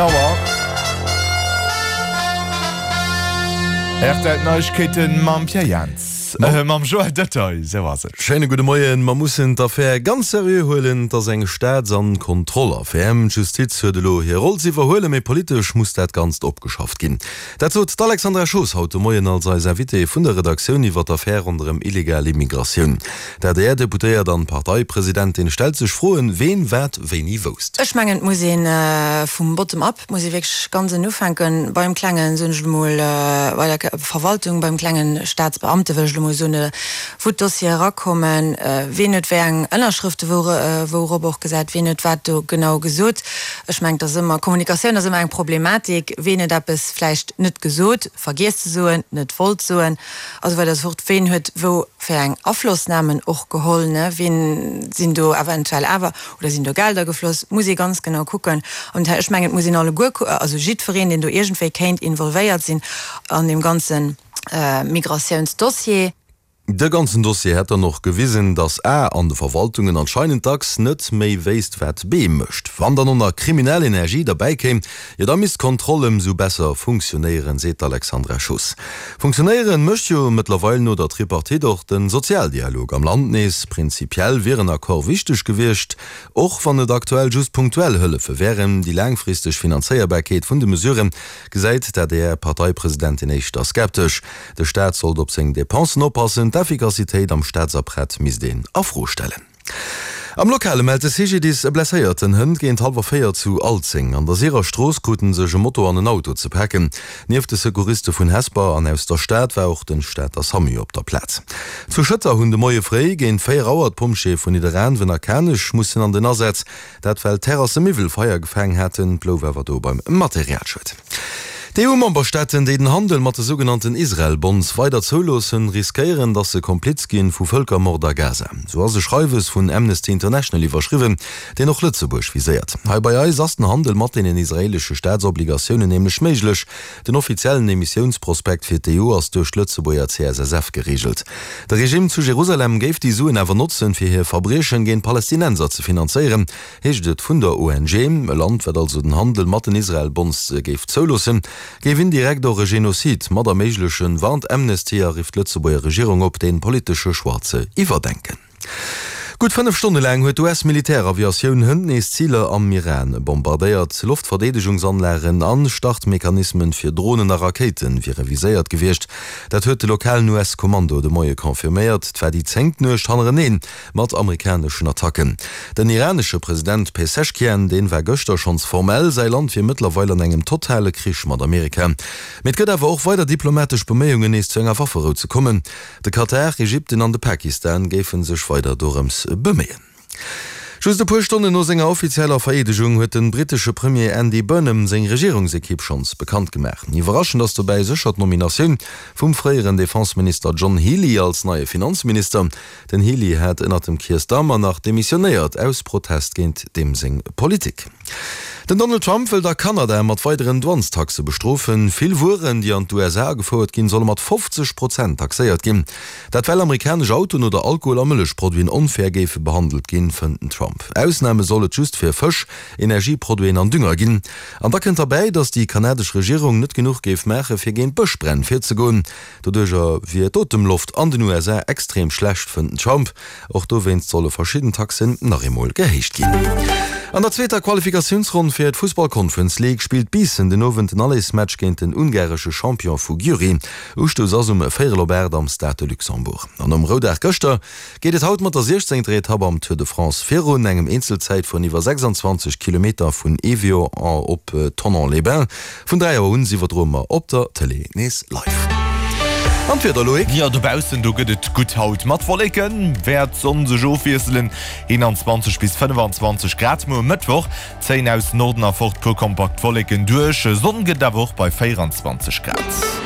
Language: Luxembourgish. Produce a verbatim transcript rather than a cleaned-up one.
Zéng Auer. Rtl Neiegkeeten mam Pierre Jans, mam Joël Detaille, sou ass et. Schéine gudde Moien. Mer mussen d'Affär ganz seriö huelen. Et ass eng Staats an Kontrollaffär. D'Justiz huet elo hir Roll ze iwwerhuelen, mee politesch muss dat Ganzt opgeschafft ginn. Dat sot d'Alexandra Schoos haut de Moien als eis Invitée vun der Redaktioun iwwer d'Affär ronderëm illegal Immigratioun. D'ADR-Deputéiert an Parteipresidentin stellt sech Froen, ween wat wéini wousst. Ech mengen, et muss ee vum Bottom up, et muss ee wierklech ganz ënnen ufänken, beim klengen, soen ech elo mol, bei der Verwaltung, beim klengen Staatsbeamte wëll ech elo mol soen, wou d'Dossiere erakommen, ween huet wéi eng Ënnerschrëfte wourop och gesat, ween huet wat do genau gesot. Ech mengen, et ass ëmmer, Kommunikatioun ass ëmmer eng Problematik, ween huet eppes vläicht net gesot, vergiess ze soen, net wollt soen a sou weider a sou fort, ween huet wou fir eng Aflossnamen och geholl, ne, ween sinn do eventuell awer oder sinn do Gelder gefloss, muss ee ganz genau kucken. An ech mengen, et muss een alleguer, also jiddwereen, deen do iergendwéi kéint involvéiert sinn an deem ganze Migratiounsdossier. De ganzen Dossier hätt dann och gewisen, datt A an de Verwaltungen anscheinend dacks net méi wéisst, wat B mécht. Wann dann och nach kriminell Energie derbäi kéim, jo da misst d'Kontroll ëmsou besser funktionéieren, seet d'Alexandra Schoos. Funktionéieren mécht jo mëttlerweil no der Tripartite och de Sozialdialog am Land nees. Prinzipiell wier en Accord wichteg gewiescht, och wann et aktuell just punktuell Hëllefe wären. Déi laangfristeg Finanzéierbarkeet vun de Mesurë gesäit d'ADR-Parteipresidentin éischter skeptesch. De Staat sollt op seng Depensen oppassen, d'Effikassitéit am Staatsapparat misst een a Fro stellen. Am Lokale mellt de C G D I S e Blesséierten hënt géint hallwer véier zu Alzeng. An der Sirer Strooss krute sech e Moto an en Auto ze paken. Nieft de Secouriste vun Hesper an aus der Stad war och de Stater Samu op der Plaz. Zu Schëtter hunn de Moie fréi géint véier Auer d'Pompjeeë vun Nidderaanwen a Kanech mussen an den Asaz. Dat well Terrassemiwwel Feier gefaang haten, blouf awer do beim Materialschued. D'E U-Memberstaaten, déi den Handel mat de sougenannten Israel-Bonds weider zouloossen, riskéieren, datt se Kompliz ginn vu Vëlkermord a Gaza. Sou ass e Schreiwes vun Amnesty International iwwerschriwwen, deen och Lëtzebuerg viséiert. Hei bei eis ass den Handel mat deenen israeelesche Staatsobligatiounen nämlech méiglech. Den offiziellen Emissiounsprospekt fir d'E U ass duerch d'Lëtzebuerger C S S F gereegelt. De Regime zu Jerusalem géif déi Suen awer notzen, fir hir Verbriechen géint Palästinenser ze finanzéieren, heescht et vun der O N G. E Land, wat also den Handel mat den Israel-Bonds géif zouloossen, géif indirekt och e Genozid mat erméiglechen, warnt Amnesty a rifft d'Lëtzebuerger Regierung op, dee politesche Choix ze iwwerdenken. Gutt fënnef Stonne laang huet d'U S-Militäraviatioun hënt nees Ziler am Iran bombardéiert. Loftverdeedegungsanlagen an Startmechanismen fir Dronen a Rakéite wiere viséiert gewiescht. Dat huet de lokalen U S-Kommando de Moie confirméiert. Et war déi zéngt Nuecht hannereneen mat amerikaneschen Attacken. Den iranesche President Peseschkian, dee war gëschter schonns formell, säi Land wier mëttlerweil an engem totale Krich mat Amerika. Mee et gëtt awer och weider diplomatesch Beméiungen, nees zu enger Wafferou ze kommen. De Katar, Ägypten an de Pakistan géife sech weider dorëms beméien. Just e puer Stonnen no senger offizieller Vereedegung huet de brittesche Premier Andy Burnham seng Regierungsekipp schonns bekannt gemaach. Iwwerraschend ass dobäi sécher d'Nominatioun vum fréieren Defenseminister John Healey als neie Finanzminister. Den Healey hat ënnert dem Keir Starmer nach demissionéiert aus Protest géint deem seng Politik. Den Donald Trump wëllt a Kanada mat weideren Douanestaxe bestrofen. Vill Wueren, déi an d'U S A gefouert ginn, solle mat fofzeg Prozent taxéiert ginn. Dat well amerikanesch Autoen oder Alkohol a Mëllechproduiten onfair géife behandelt ginn, fënnt den Trump. Ausname soll et just fir Fësch, Energieproduiten an Dünger ginn. An da kënnt derbäi, datt déi kanadesch Regierung net genuch géif maache fir géint Bëschbränn virzegoen. Doduercher wier d'Otemloft an den U S A extrem schlecht, fënnt den Trump. Och dowéinst solle verschidden Taxen nach eemol gehéicht ginn. An der zweeter Qualifikatiounsronn fir d'Fussball Conference League spillt Biissen den Owend den Allersmatch géint den ungaresche Champion vu Győri. Ustouss ass um véierel op aacht am Stade de Luxembourg. An nom Roudag gëschter geet et haut mat der siechzéngter Etapp am Tour de France virun, engem Eenzelzäitfueren iwwer sechsanzwanzeg Kilometer vun Évian op Thonon-les-Bains. Vun dräi Auer un iwwerdroe mer op der Tëlee nees live. An d'Wieder, Loïc? Jo, dobaussen do gëtt et gutt haut. Mat Wolleken wäert d'Sonn sech ofwiesselen, eenanzwanzeg bis fënnefanzwanzeg Grad. Muer Mëttwoch zéien aus Norden erfort puer kompakt Wolleken duerch, Sonn gëtt et awer och bei véieranzwanzeg Grad.